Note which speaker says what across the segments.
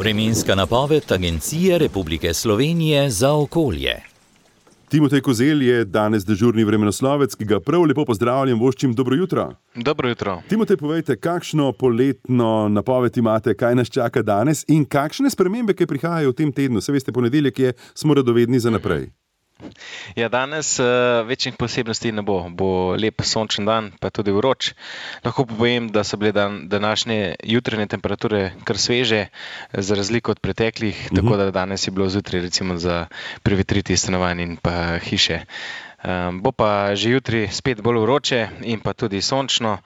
Speaker 1: Vremenska napoved Agencije Republike Slovenije za okolje.
Speaker 2: Timotej Kozelj je danes dežurni vremenoslovec, ki ga prav lepo pozdravljam, voščim dobro jutro.
Speaker 3: Dobro jutro.
Speaker 2: Timotej, povejte, kakšno poletno napoved imate, kaj nas čaka danes in kakšne spremembe, ki prihajajo v tem tednu? Se veste, ponedeljek je, smo radovedni za naprej.
Speaker 3: Ja, danes večjih posebnosti ne bo. Bo lep sončen dan, pa tudi vroč. Lahko povem, da so bile današnje jutranje temperature kar sveže, za razliko od preteklih, tako da danes je bilo zjutraj recimo za prevetriti stanovanj in pa hiše. Bo pa že jutri spet bolj vroče in pa tudi sončno.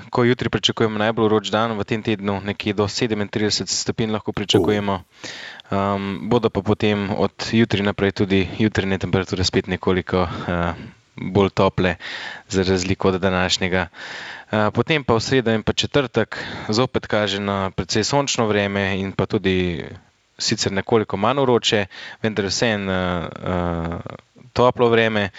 Speaker 3: Ko jutri pričakujemo najbolj vroč dan v tem tednu, nekje do 37 stopinj lahko pričakujemo. Bodo pa potem od jutri naprej tudi jutranje temperature spet nekoliko bolj tople, za razliko od današnjega. Potem pa v sredo in pa četrtek zopet kaže na precej sončno vreme in pa tudi sicer nekoliko manj vroče, vendar vseeno toplo vreme.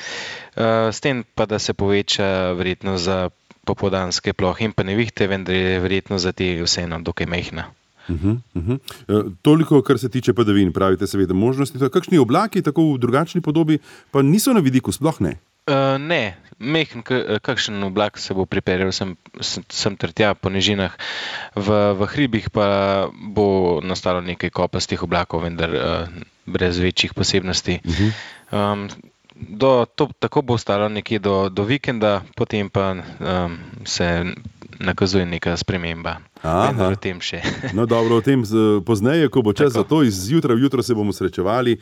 Speaker 3: S tem pa, da se poveča verjetnost za popoldanske plohe in pa nevihte, vendar je verjetno za te vseeno dokaj majhna.
Speaker 2: Toliko, kar se tiče padavin, pravite seveda možnosti. Kakšni oblaki, tako v drugačni podobi, pa niso na vidiku, sploh ne?
Speaker 3: Ne, majhen kakšen oblak se bo pripeljal sem ter tja po nižinah. V hribih pa bo nastalo nekaj kopastih oblakov, vendar brez večjih posebnosti. Tako bo ostalo nekje do vikenda, potem pa se nakazuje neka sprememba. Vendar o tem še.
Speaker 2: No dobro, o tem pozneje, ko bo čas za to, iz jutra v jutro se bomo srečevali.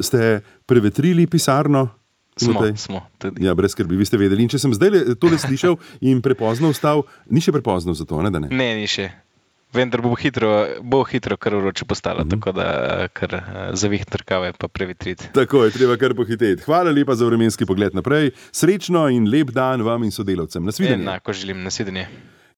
Speaker 2: Ste prevetrili pisarno?
Speaker 3: Smo tudi.
Speaker 2: Ja, brez skrbi, vi ste vedeli. In če sem zdaj tole slišal in prepozno vstal, ni še prepozno za to, ne da ne?
Speaker 3: Ne, ni še. Vendar bo hitro kar vroče postalo, tako da kar zavihti rokave pa prevetriti.
Speaker 2: Tako je, treba kar pohiteti. Hvala lepa za vremenski pogled naprej. Srečno in lep dan vam in sodelavcem. Nasvidenje.
Speaker 3: Enako želim, nasvidenje.